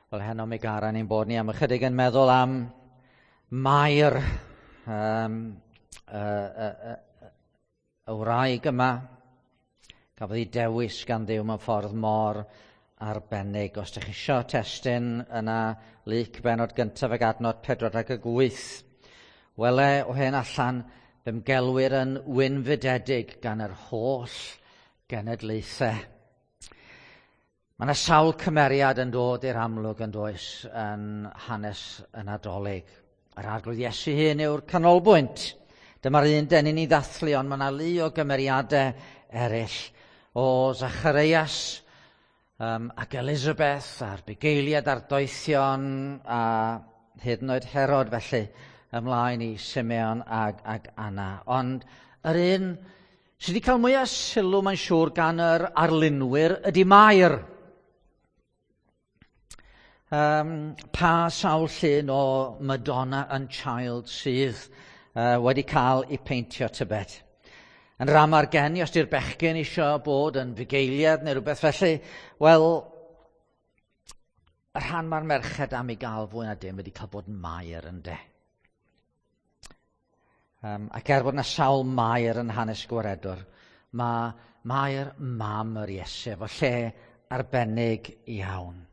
Wel, heno mi garan ni'n bod ni am ychydig yn meddwl am Mair, y wraig yma. Gafodd ei dewis gan Dduw mewn ffordd mor arbennig. Os ydych chi isio testun yna, Luc bennod gyntaf ag adnod 48. Wele o hen allan, fe'm gelwir yn wynfydedig gan yr holl genedlaethau. Mae yna sawl cymeriad yn dod i'r amlwg yn does yn hanes y Nadolig. Yr Arglwydd Iesu hun yw'r canolbwynt. Dyma'r un dyn ni ddathlu, ond mae yna lu o gymeriadau eraill. O Zacharias ac Elizabeth a'r bugeiliad a'r doethion a hyd yn oed Herod felly ymlaen i Simeon ag Anna. Ond yr un sydd wedi cael mwyaf sylw mae'n siŵr gan yr arlunwyr ydy Mair. Pa sawl llun o Madonna and Child sydd wedi cael ei peintio tybed? Yn ram ar geni, os di'r bechgyn eisiau bod yn fugeiliad neu rhywbeth felly, wel, y rhan mae'r merched am ei gael fwy na dim wedi cael bod yn Mair ynde. Ac er bod yna sawl Mair yn hanes Gwaredwr, mae Mair mam yr Iesu efo lle arbennig iawn.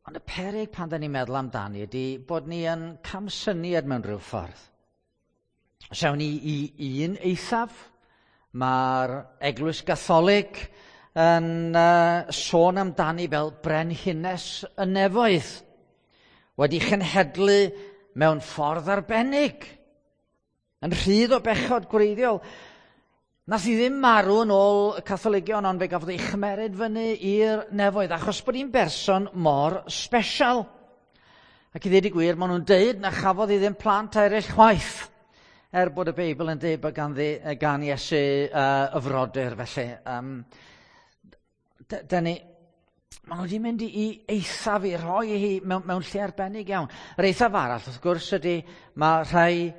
Ond y peryg pan da ni'n meddwl amdani ydy bod ni yn camsyniad mewn rhyw ffordd. Os awn ni i un eithaf, mae'r Eglwys Gatholig yn sôn amdani fel brenhines y nefoedd, wedi chenhedlu mewn ffordd arbennig, yn rhydd o bechod gwreiddiol. Nath hi ddim marw yn ôl y Catholigion, ond fe gafodd ei chymeryd fyny i'r nefoedd, achos bod hi'n berson mor sbesial. Ac i ddweud y gwir, maen nhw'n deud na chafodd hi ddim plant eraill chwaith, er bod y Beibl yn deud bod gan Iesu y frodyr, felly. Maen nhw wedi mynd i eithaf i rhoi hi mewn lle arbennig iawn. Yr eithaf arall, wrth gwrs, ydy mae rhai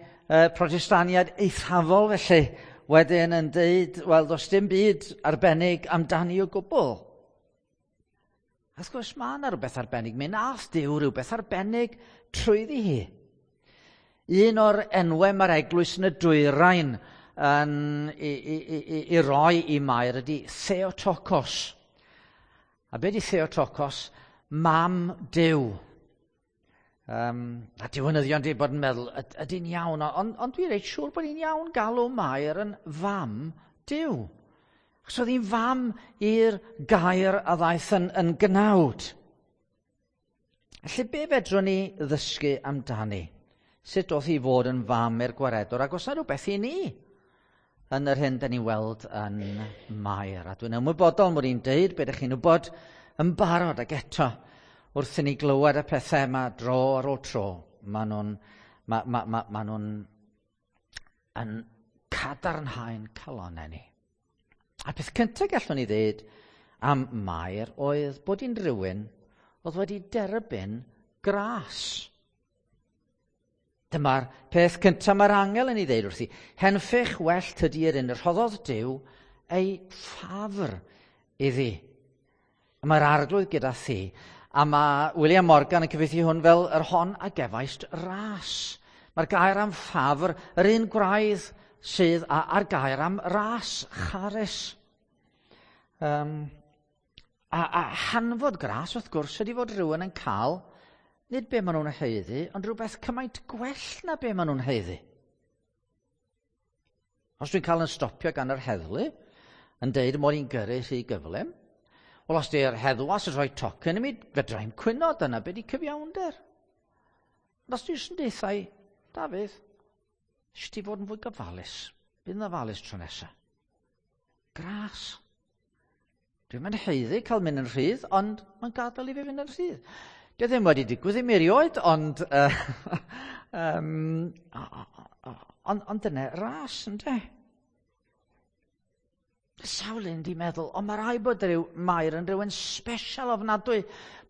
Protestaniaid eithafol felly wedyn yn deud, wel, does dim byd arbennig amdani o gwbl. Wrth gwrs, mae yna rhywbeth arbennig. Mi nath Duw rhywbeth arbennig trwyddi hi. Un o'r enwau mae'r eglwys yn y dwyrain yn i roi i Mair ydy Theotokos. A be di Theotokos? Mam Duw. A diwinyddion di bod yn meddwl, ydy'n iawn, ond dwi reit siŵr bod hi'n iawn galw Mair yn fam Duw. Achos oedd hi'n fam i'r gair a ddaeth yn gnawd. Felly be fedrwn ni ddysgu amdani? Sut oedd hi fod yn fam i'r Gwaredwr? Ac oes 'na rhywbeth i ni yn yr hyn da ni'n weld yn Mair? A dwi'n ymwybodol mod i'n deud be ydych chi'n wybod yn barod, ac eto wrth i ni glywed y pethau yma dro ar ôl tro, maen nhw'n yn cadarnhau'n calonnau ni. A peth cyntaf gallwn ni ddeud am Mair oedd bod hi'n rhywun oedd wedi derbyn gras. Dyma'r peth cyntaf mae'r angel yn ei ddeud wrthi. Henffych well tydi yr un y rhoddodd Duw ei ffafr iddi. A mae'r Arglwydd gyda thi. A mae William Morgan yn cyfieithu hwn fel yr hon a gefaist ras. Mae'r gair am ffafr, yr un gwraidd sydd a'r gair am ras, charis. A hanfod gras, wrth gwrs, ydy fod rhywun yn cael, nid be maen nhw'n haeddu, ond rhywbeth cymaint gwell na be maen nhw'n haeddu. Os dwi'n cael yn stopio gan yr heddlu, yn deud mod i'n gyrru rhy gyflym, wel, os di'r heddwas yn rhoi tocyn i mi, fedra i'm cwyno, dyna be di cyfiawnder. Ond os dwi'n deutha i, Dafydd, eisiau ti fod yn fwy gofalus, bydd yn ofalus tro nesa. Gras. Dwi'm yn haeddu cael mynd yn rhydd, ond mae'n gadael i fi fynd yn rhydd. Dio ddim wedi digwydd i mi erioed, ond dyna ras, ynde? Sawl un di meddwl, ond mae rhaid bod rhyw Mair yn rhywun special ofnadwy,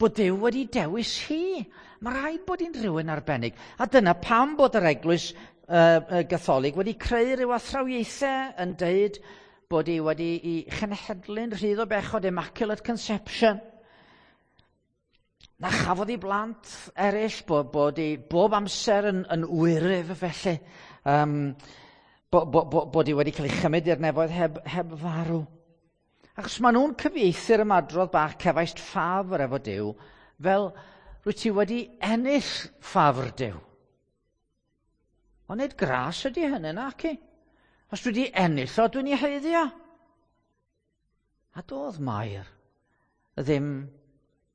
bod Duw wedi dewis hi. Mae rhaid bod hi'n rhywun arbennig. A dyna pam bod yr Eglwys Gatholig wedi creu rhyw athrawiaethau yn deud bod hi wedi ei chenhedlu'n rhydd o bechod, Immaculate Conception. Na chafodd ei blant eraill, bod ei bob amser yn wyryf felly, bod hi wedi cael ei chymryd i'r nefoedd heb farw. Achos maen nhw'n cyfieithu'r ymadrodd bach "cefaist ffafr efo Duw" fel rwyt ti wedi ennill ffafr Duw. Ond nid gras ydy hynny, naci. Os dwi wedi ennill o, dwi'n ei haeddu o. A doedd Mair ddim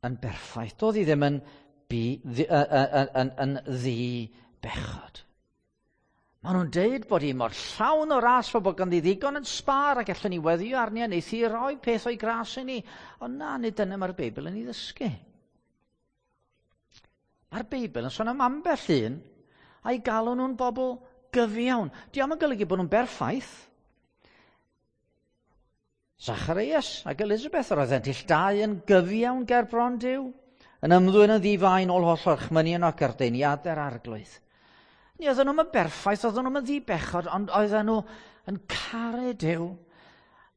yn berffaith. Doedd hi ddim yn ddi-bechod. Maen nhw'n deud bod hi mor llawn o ras fel bod ganddi ddigon yn sbâr ac allwn ni weddio arni a wneith hi roi peth o'i gras i ni. Ond na, nid dyna mae'r Beibl yn ei ddysgu. Mae'r Beibl yn sôn am ambell un a'i galw nhw'n bobl gyfiawn. Dio'm yn golygu bod nhw'n berffaith. Zacharias ac Elizabeth, yr oeddent ill dau yn gyfiawn ger bron Duw, yn ymddwyn yn ddi-fai yn ôl holl orchmynion ac ardeiniadau'r Arglwydd. Ni oedden nhw'n berffaith, oedden nhw'n ddi-bechod, ond oedden nhw yn caru Duw,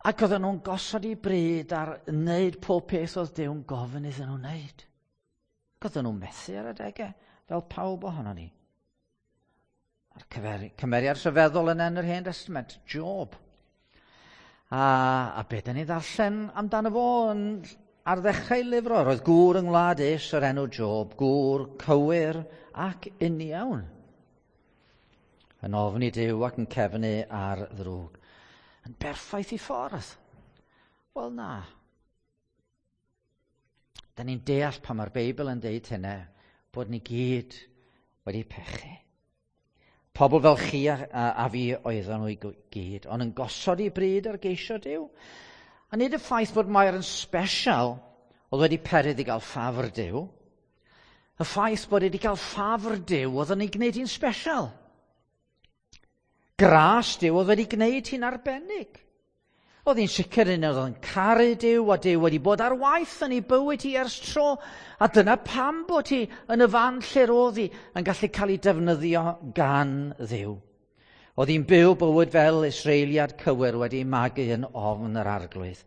ac oedden nhw'n gosod eu bryd ar wneud pob peth oedd Duw'n gofyn iddyn nhw wneud. Ac oedden nhw'n methu ar adegau, fel pawb ohono ni. A'r cymeriad rhyfeddol yn yr Hen Testament, Job. A be dyn ni ddarllen amdano fo ar ddechrau lyfr o? Roedd gŵr yng ngwlad Us o'r enw Job, gŵr cywir ac uniawn, yn ofni Duw ac yn cefnu ar ddrwg. Yn berffaith i ffordd? Wel na. Da ni'n deall pan mae'r Beibl yn deud hynny, bod ni gyd wedi pechu. Pobl fel chi a fi oedden nhw i gyd, ond yn gosod eu bryd ar geisio Duw. A nid y ffaith bod Mair yn special oedd wedi peri iddi gael ffafr Duw. Y ffaith bod wedi cael ffafr Duw oedd yn ei gwneud hi'n special. Gras Duw oedd wedi gwneud hi'n arbennig. Oedd hi'n sicr un oedd yn caru Duw, a Duw wedi bod ar waith yn ei bywyd hi ers tro. A dyna pam bod hi yn y fan lle roedd hi yn gallu cael ei defnyddio gan Dduw. Oedd hi'n byw bywyd fel Israeliad cywir wedi magu yn ofn yr Arglwydd.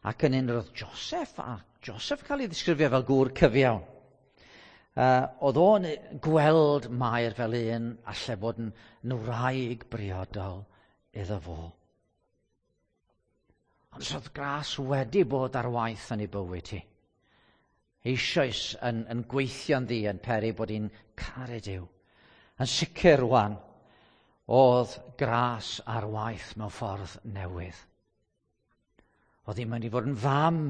Ac yn un roedd Joseph, a Joseph cael ei ddisgrifio fel gŵr cyfiawn. Oedd o'n gweld Mair fel un allai fod yn wraig briodol iddo fo. Ond os oedd gras wedi bod ar waith yn ei bywyd hi, eisoes yn gweithio'n ddi yn peri bod hi'n caru Duw. Yn sicr rwan, oedd gras ar waith mewn ffordd newydd. Oedd hi'n mynd i fod yn fam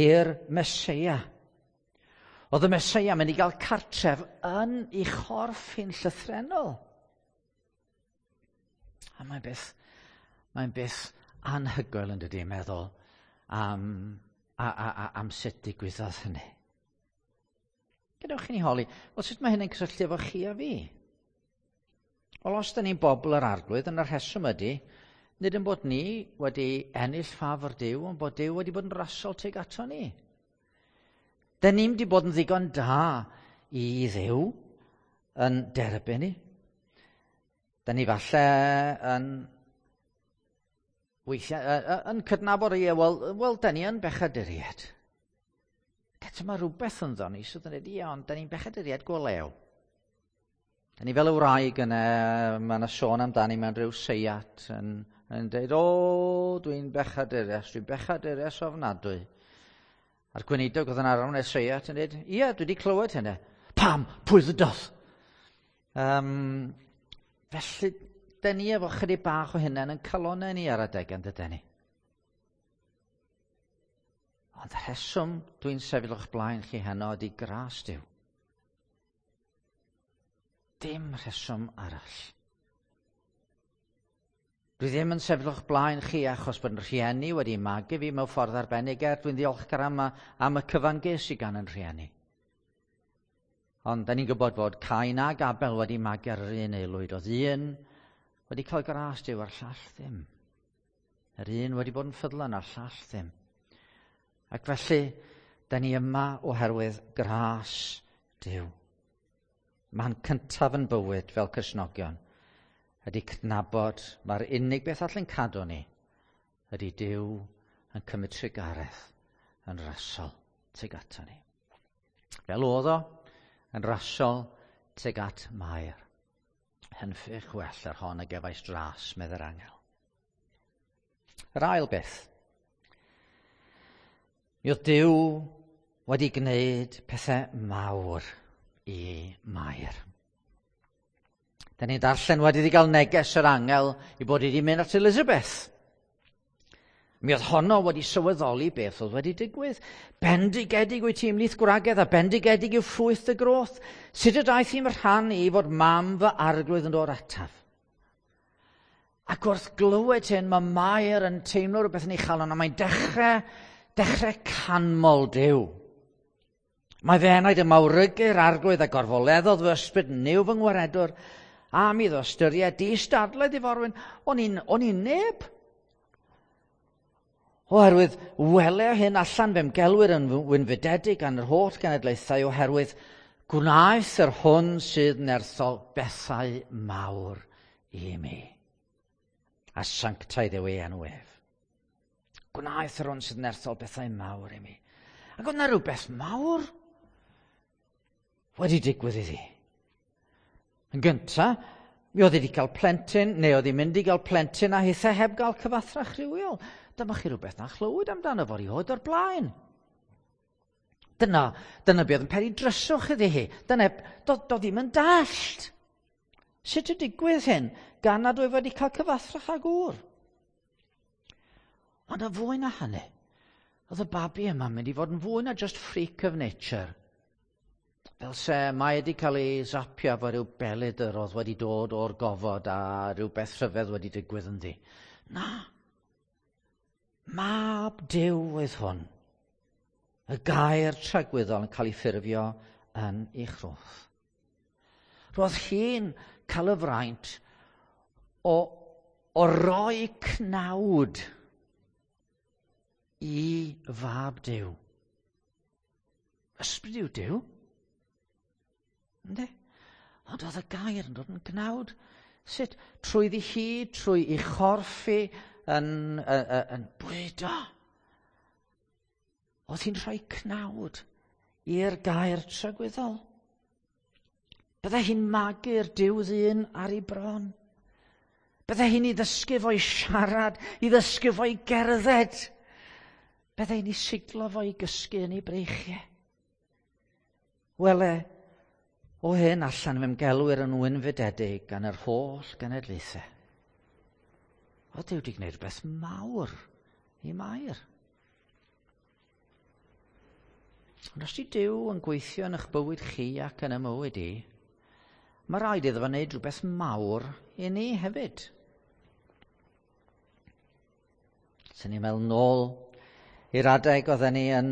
i'r Meseia. Oedd y Meseia mynd i gael cartref yn ei chorff hi'n llythrennol. A mae'n beth anhygoel yn dydi, meddwl am sut digwyddodd hynny. Gadewch i ni holi, wel, sut mae hynny'n cysylltu efo chi a fi? Wel, os da ni'n bobl yr Arglwydd, yna'r rheswm ydy, nid yn bod ni wedi ennill ffafr Duw, ond bod Duw wedi bod yn rasol tuag ato ni. Da ni'm wedi bod yn ddigon da i Dduw yn derbyn ni. Da ni falle yn weithiau yn cydnabod, ie, wel, da ni yn bechaduriaid. Eto mae rhywbeth ynddo ni sydd yn dweud, ie, ond da ni'n bechaduriaid go lew. Da ni fel y wraig yna, mae yna sôn amdani mewn rhyw seiat yn dweud, "O, dwi'n bechadurias ofnadwy." A'r gweinidog oedd yn arwain y seiat yn dweud, "Ie, dwi wedi clywed hynny." "Pam? Pwy ddydodd?" Felly, da ni efo chydig bach o hynny yn calonau ni ar adeg, yn dydyn ni? Ond rheswm dwi'n sefyll o'ch blaen chi heno ydy gras Duw. Dim rheswm arall. Dwi ddim yn sefyll o'ch blaen chi achos bod yn rhieni wedi magu fi mewn ffordd arbennig, er dwi'n ddiolchgar am y cyfan ges i gan yn rhieni. Ond da ni'n gwybod fod Cain ag Abel wedi magu ar yr un aelwyd. Oedd un wedi cael gras Duw a'r llall ddim. Yr un wedi bod yn ffyddlon a'r llall ddim. Ac felly, da ni yma oherwydd gras Duw. Man cyntaf yn bywyd fel Cristnogion ydy cydnabod mae'r unig beth allan cadw ni ydy Duw yn cymryd trugaredd yn rasol tuag ato ni. Fel oedd o, yn rasol tuag at Mair. Henffych well yr hon a gefais dras, medde'r angel. Yr ail beth. Mi oedd Duw wedi gwneud pethau mawr i Mair. Da ni'n darllen wedi iddi gael neges yr angel i bod wedi mynd at Elizabeth. Mi oedd honno wedi sylweddoli beth oedd wedi digwydd. Bendigedig wyt ti ymhlith gwragedd a bendigedig yw ffrwyth dy groth. Sut y daeth i'n rhan i fod mam fy arglwydd yn dod ataf? Ac wrth glywed hyn, mae Mair yn teimlo rhywbeth yn ei chalon, a mae'n dechrau canmol Duw. Mae fy enaid yn mawrygu'r arglwydd a gorfoleddodd fy ysbryd Nuw fy ngwaredwr, am iddo ystyried distadledd i forwyn. O'n i'n neb. Oherwydd wele hyn allan fe'm gelwir yn wynfydedig gan yr holl genedlaethau, oherwydd gwnaeth yr hwn sydd nerthol bethau mawr i mi. A sanctaidd yw ei enw ef. Gwnaeth yr hwn sydd nerthol bethau mawr i mi. Ac oedd 'na rhywbeth mawr wedi digwydd iddi. Yn gynta, mi oedd wedi cael plentyn, neu oedd hi'n mynd i gael plentyn a hithau heb gael cyfathrach rhywiol. Dyma chi rhywbeth na chlywed amdano fo rioed o'r blaen. Dyna be oedd yn peri dryswch iddi hi. Dyna, do ddim yn dallt. Sut y digwydd hyn gan nad oedd wedi cael cyfathrach â gŵr? Ond y fwy na hynny, oedd y babi yma'n mynd i fod yn fwy na just freak of nature. Fel se mae wedi cael ei zapio efo rhyw belydr oedd wedi dod o'r gofod a rhywbeth rhyfedd wedi digwydd ynddi. Na. Mab Duw oedd hwn. Y gair tragwyddol yn cael ei ffurfio yn ei chroth. Roedd hi'n cael y fraint o roi cnawd i fab Duw. Ysbryd yw Duw. Yndi? Ond oedd y gair yn dod yn gnawd. Sut? Trwy ddi hi, trwy ei chorff hi yn bwydo. Oedd hi'n rhoi cnawd i'r gair tragwyddol. Byddai hi'n magu'r Duw ddyn ar ei bron. Byddai hi'n ei ddysgu fo i siarad, i ddysgu fo i gerdded. Byddai hi'n ei siglo fo i gysgu yn ei breichiau. Wele, o hyn allan fe'm gelwir yn wynfydedig gan yr holl genedlaethau. Oedd Duw wedi gwneud rhywbeth mawr i Mair. Ond os di Duw yn gweithio yn eich bywyd chi ac yn y mywyd i, mae rhaid iddo fo wneud rhywbeth mawr i ni hefyd. Sy'n ni'n meddwl nôl i'r adeg oedden ni yn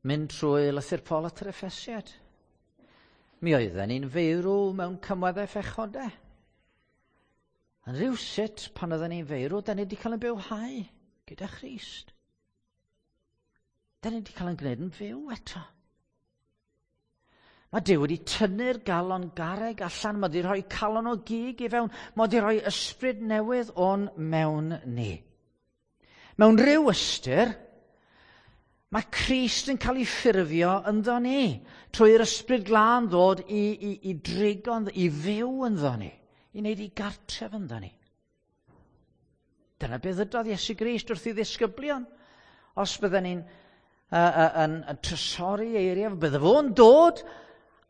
mynd trwy lythyr Paul at yr Effesiaid. Mi oedden ni'n feirw mewn cymweddau phechodau. Yn rhywsut, pan oedden ni'n feirw, da ni wedi cael ein bywhau gyda Christ. Da ni wedi cael ein gwneud yn fyw eto. Mae Duw wedi tynnu'r galon garreg allan, mae wedi rhoi calon o gig i fewn, mae wedi rhoi ysbryd newydd o'n mewn ni. Mewn rhyw ystyr, mae Crist yn cael ei ffurfio ynddo ni, trwy'r ysbryd glân ddod i drigo, i fyw ynddo ni, i wneud ei gartref ynddo ni. Dyna beth ddydodd Iesu Grist wrth ei ddisgyblion. Os bydden ni'n yn trysori eiriau, bydde fo'n dod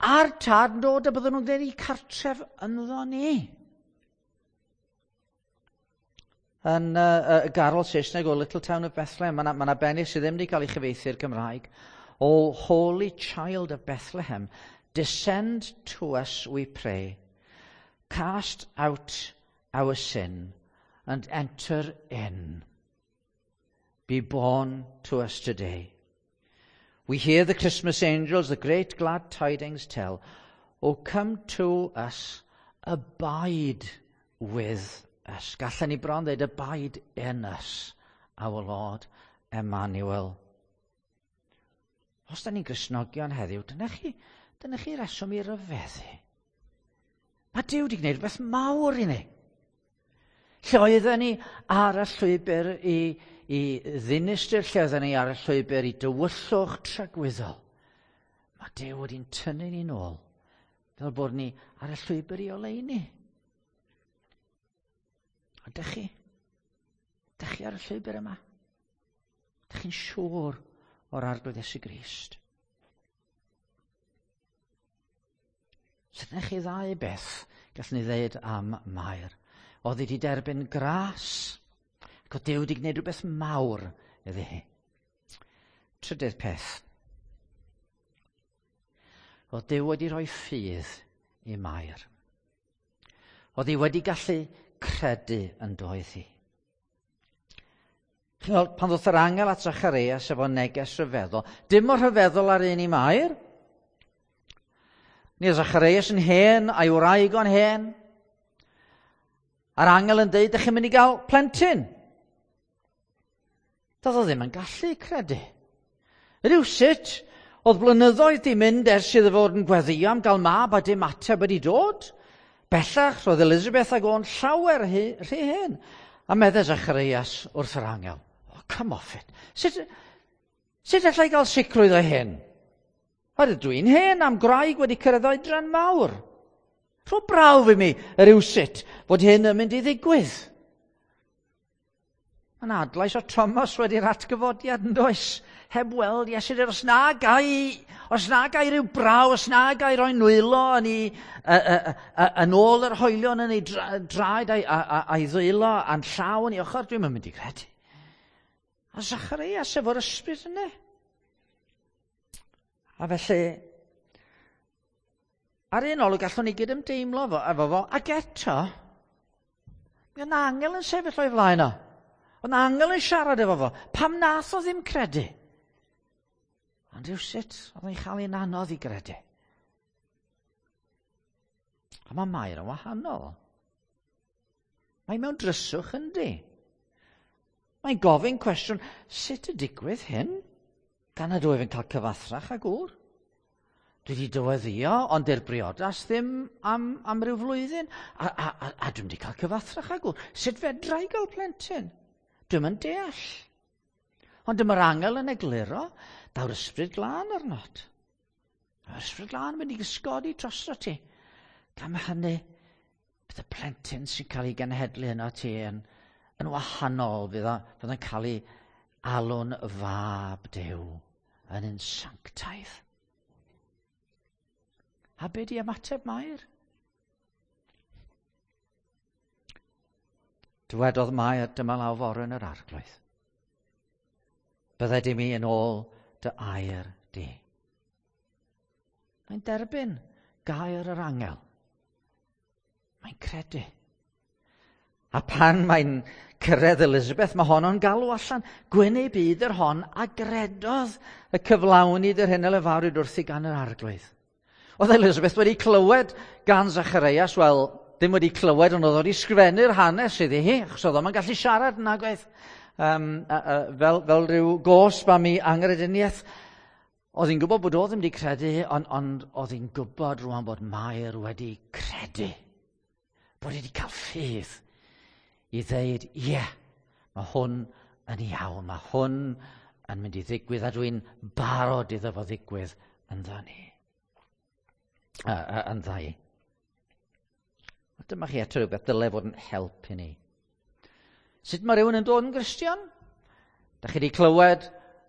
a'r tad yn dod a bydden nhw'n gwneud eu cartref ynddo ni. Yn y garol Saesneg o Little Town of Bethlehem, mae yna bennill sydd ddim wedi cael ei chyfieithu i'r Cymraeg. O Holy Child of Bethlehem, descend to us, we pray. Cast out our sin and enter in. Be born to us today. We hear the Christmas angels, the great glad tidings tell. O come to us, abide with us. Gallen ni bron dweud, abide in us, our Lord Emmanuel. Os da ni'n Gristnogion heddiw, dyna chi reswm i ryfeddu. Mae Duw wedi gwneud rhywbeth mawr i ni. Lle oedden ni ar y llwybr i ddinistr, lle oedden ni ar y llwybr i dywyllwch tragwyddol. Mae Duw wedi'n tynnu ni nôl, fel bod ni ar y llwybr i oleuni. A dych chi? Dych chi ar y llwybr yma? Dych chi'n siŵr o'r Arglwydd Iesu Grist? Sut ydych chi ddau beth gallwn ni ddeud am Mair? Oedd wedi derbyn gras, ac oedd Duw wedi gwneud rhywbeth mawr iddi hi. Trydydd peth. Oedd Duw wedi rhoi ffydd i Mair. Oedd hi wedi gallu credu yn doedd hi. Chi'n gweld, pan ddoth yr angel at Zacharias efo neges rhyfeddol, dim mor rhyfeddol ar un i Mair. Ni oedd Zacharias yn hen, a'i wraig o'n hen. A'r angel yn dweud, ydych chi'n mynd i gael plentyn. Doedd o ddim yn gallu credu. Rhywsut, oedd blynyddoedd di mynd ers iddo fod yn gweddio am gael mab a dim ateb wedi dod. Bellach, roedd Elizabeth ag o'n llawer rhy, rhy hen. A medde Zacharias wrth yr angel, oh, come off it. Sut, sut allai gael sicrwydd o hyn? Oherwydd dwi'n hen am gwraig wedi cyrraedd oedran mawr. Rho brawf i mi rywsut fod hyn yn mynd i ddigwydd. Mae'n adlais o Thomas wedi'r atgyfodiad yn does? Heb weld Iesu, os na gai, os na gai rhyw braw, os na gai roi nwylo yn, ei, yn ôl yr hoelion yn ei draed a'i, a'i ddwylo a'n llaw yn ei ochr, dwi'n mynd i gredu. A Zacharias efo'r ysbryd yna. A felly, ar un olwg gallwn ni gydymdeimlo efo, efo fo, ac eto, mi oedd angel yn sefyll o'i flaen o. Oedd angel yn siarad efo fo. Pam nath o ddim credu? Ond rhywsut, oedd o'n chael ein anodd i gredu. A mae Mair yn wahanol. Mae mewn dryswch yndi. Mae'n gofyn cwestiwn, sut y digwydd hyn? Gan nad wyf yn cael cyfathrach â gŵr. Dwi wedi dyweddio, ond i'r briodas ddim am, am ryw flwyddyn. A, a, a, a dwi'n wedi cael cyfathrach â gŵr. Sut fedra i gael plentyn? Dwi'm yn deall. Ond dyma'r angel yn egluro, daw'r ysbryd glân arnot. Mae'r ysbryd glân yn mynd i gysgodi drosto ti. Gan hynny, bydd y plentyn sy'n cael ei genhedlu yno ti yn, yn wahanol, fydd, o, fydd yn cael ei alw'n fab Duw yn un sanctaidd. A be di ymateb Mair? Dywedodd Mair, dyma law forwyn yr arglwydd. Bydded i mi yn ôl dy air di. Mae'n derbyn gair yr angel. Mae'n credu. A pan mae'n cyrraedd Elizabeth, mae honno'n galw allan. Gwyn ei byd yr hon a gredodd y cyflawnid yr hyn a lefarwyd wrthi gan yr arglwydd. Oedd Elizabeth wedi clywed gan Zacharias, wel, ddim wedi clywed, ond oedd wedi sgrifennu'r hanes iddi hi, achos oedd o'n gallu siarad yn agwedd um, fel, fel rhyw gosb am ei angrediniaeth. Oedd hi'n gwybod bod o ddim wedi credu, ond, ond oedd hi'n gwybod rwan bod Mair wedi credu. Bod wedi cael ffydd i ddeud, ie, yeah, mae hwn yn iawn, mae hwn yn mynd i ddigwydd, a dwi'n barod iddo fo ddigwydd ynddo ni. Yn ddau. A dyma chi eto rhywbeth dyle fod yn help i ni. Sut mae rhywun yn dod yn Gristion? Da chi wedi clywed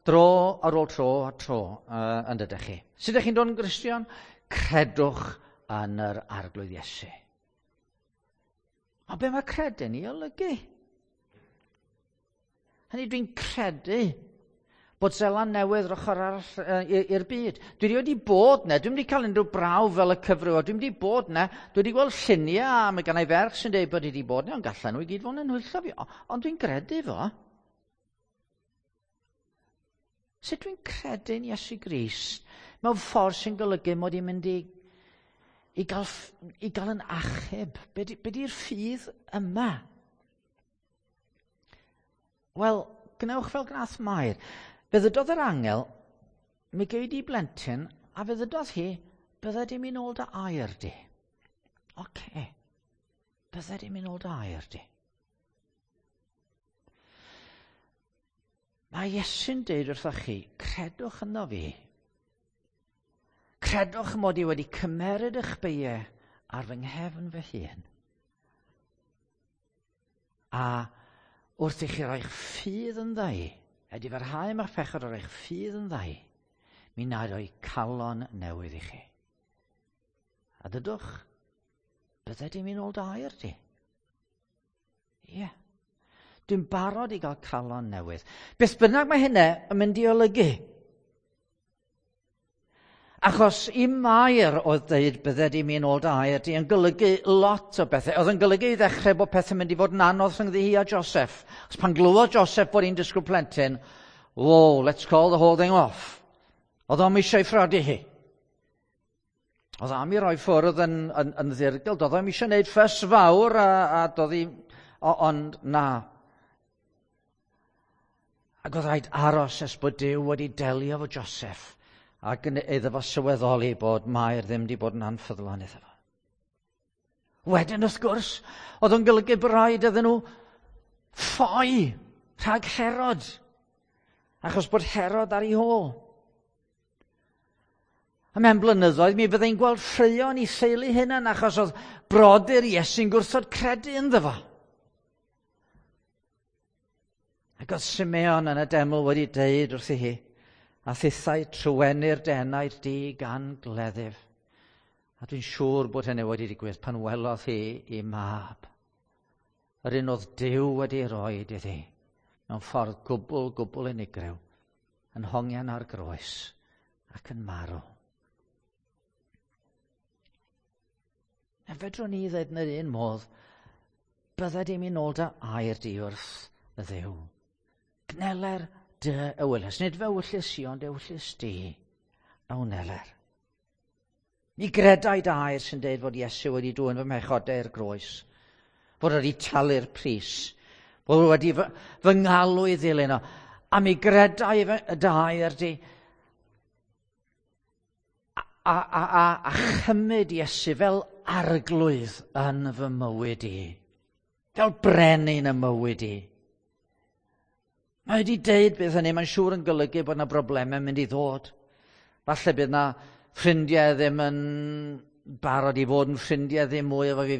dro ar ôl tro a tro yn dydych chi. Sut ydych chi'n dod yn Gristion? Credwch yn yr Arglwydd Iesu. Ond be mae credu'n ei olygu? Hynny dwi'n credu bod Seland Newydd yr ochr arall i'r byd. Dwi wedi bod ne, dwi'n wedi cael unrhyw brawf fel y cyfryw, dwi'n wedi bod ne, dwi wedi gweld lluniau a mae gennau ferch sy'n dweud bod wedi bod ne, ond gallan nhw i gyd fod yn hwyllo fi, ond dwi'n gredu fo. Sut dwi'n credu'n Iesu Grist mewn ffordd sy'n golygu mod i'n mynd i, i, gael, i gael yn achub? Be di'r ffydd yma? Wel, gwnewch fel gnath Mair. Fe ddydodd yr angel, mi gei di blentyn, a fe ddydodd hi, bydde di mynd ôl dy air di. Oce. Okay. Bydde di mynd ôl dy air di. Mae Iesu'n deud wrthoch chi, credwch ynddo fi. Credwch mod i wedi cymeryd eich beiau ar fy nghefn fy hun. A wrth i chi roi'ch ffydd yn ddau, edifarhau am eich pechod a roi'ch ffydd yn ddau, mi na roi calon newydd i chi. A dydwch, bydde di mynd ôl dy air di. Ie. Yeah. Dwi'n barod i gael calon newydd. Beth bynnag mae hynna yn mynd i olygu. Achos i Mair oedd dweud bydde di mynd ôl dy air di yn golygu lot o bethau. Oedd yn golygu i ddechrau bod pethau'n mynd i fod yn anodd rhyngddi hi a Joseph. Os pan glywodd Joseph bod hi'n disgwyl plentyn, "Whoa, let's call the whole thing off." Oedd o'm eisiau phrodi hi. Oedd am i roi ffwrdd yn ddirgel. Doedd o'm eisiau gwneud ffys fawr a doedd hi. Ond na. Ac oedd rhaid aros nes bod Duw wedi delio efo Joseph ac iddo fo sylweddoli bod Mair ddim wedi bod yn anffyddlon iddo fo. Wedyn, wrth gwrs, oedd o'n golygu bod rhaid iddyn nhw ffoi rhag Herod, achos bod Herod ar ei hôl. A mewn blynyddoedd mi fyddai'n gweld ffraeo yn ei theulu hunan achos oedd brodyr Iesu'n gwrthod credu ynddo fo. Ac oedd Simeon yn y deml wedi deud wrthi hi, "A thithau truenir dy enaid di gan gleddyf." A dwi'n siŵr bod hynny wedi digwydd pan welodd hi i mab. Yr un oedd Duw wedi roi iddi mewn ffordd gwbl, gwbl unigryw, yn hongian ar groes ac yn marw. A fedrwn ni ddweud yn yr un modd, "Bydded i mi nôl dy air di wrth y Dduw. Gneler dy ewyllys. Nid fy ewyllys i, ond ewyllys di a wneler. Mi gredai dy air sy'n dweud fod Iesu wedi dwyn fy mhechodau i'r groes, fod wedi talu'r pris, fod wedi fy ngalw i ddilyn o. A mi gredai dy air di a chymryd Iesu fel arglwydd yn fy mywyd i. Fel brenin y mywyd i." Mae wedi deud bydd hynny, mae'n siŵr yn golygu bod yna broblemau mynd i ddod. Falle bydd yna ffrindiau ddim yn barod i fod yn ffrindiau ddim mwy efo fi.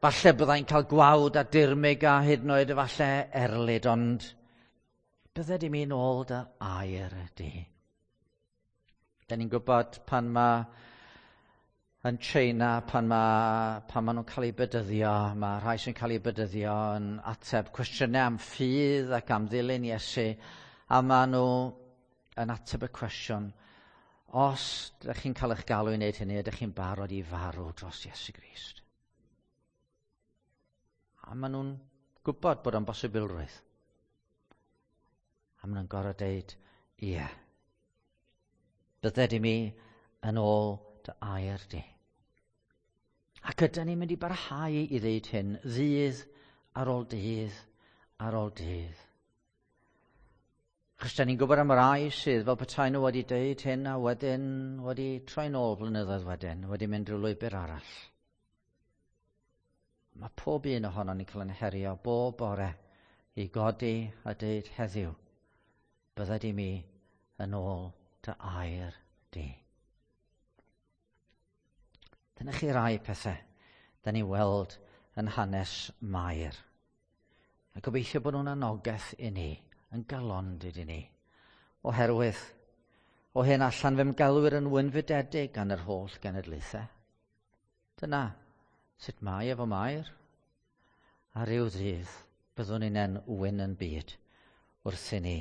Falle byddai'n cael gwawd a dirmyg a hyd yn oed efallai erlid, ond bydded i mi nôl dy air di. Da ni'n gwybod pan mae yn China, pan ma nhw'n cael eu bedyddio, mae rhai sy'n cael eu bedyddio yn ateb cwestiynau am ffydd ac am ddilyn Iesu, a maen nhw yn ateb y cwestiwn, "Os ydych chi'n cael eich galw i wneud hynny, ydych chi'n barod i farw dros Iesu Grist?" A maen nhw'n gwybod bod o'n bosibilrwydd. A maen nhw'n gorfod deud, "Ie. Bydded i mi yn ôl dy air di." Ac ydyn ni'n mynd i barhau i ddeud hyn ddydd ar ôl dydd ar ôl dydd? Achos da ni'n gwybod am rai sydd fel petai nhw wedi deud hyn a wedyn wedi troi nôl blynyddoedd wedyn, wedi mynd rhyw lwybr arall. Mae pob un ohono ni'n cael yn herio bob bore i godi a deud heddiw, "Bydded i mi yn ôl dy air di." Dyna chi rai pethau da ni weld yn hanes Mair. A gobeithio bod nhw'n anogaeth i ni, yn galondid i ni. Oherwydd, o hyn allan fe'm gelwir yn wynfydedig gan yr holl genedlaethau. Dyna sut mae efo Mair. A rhyw ddydd byddwn ni'n wyn yn byd wrth i ni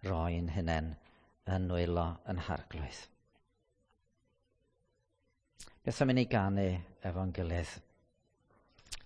roi'n hunain yn nwylo yn Harglwydd. Beth am i ni ganu efo'n gilydd?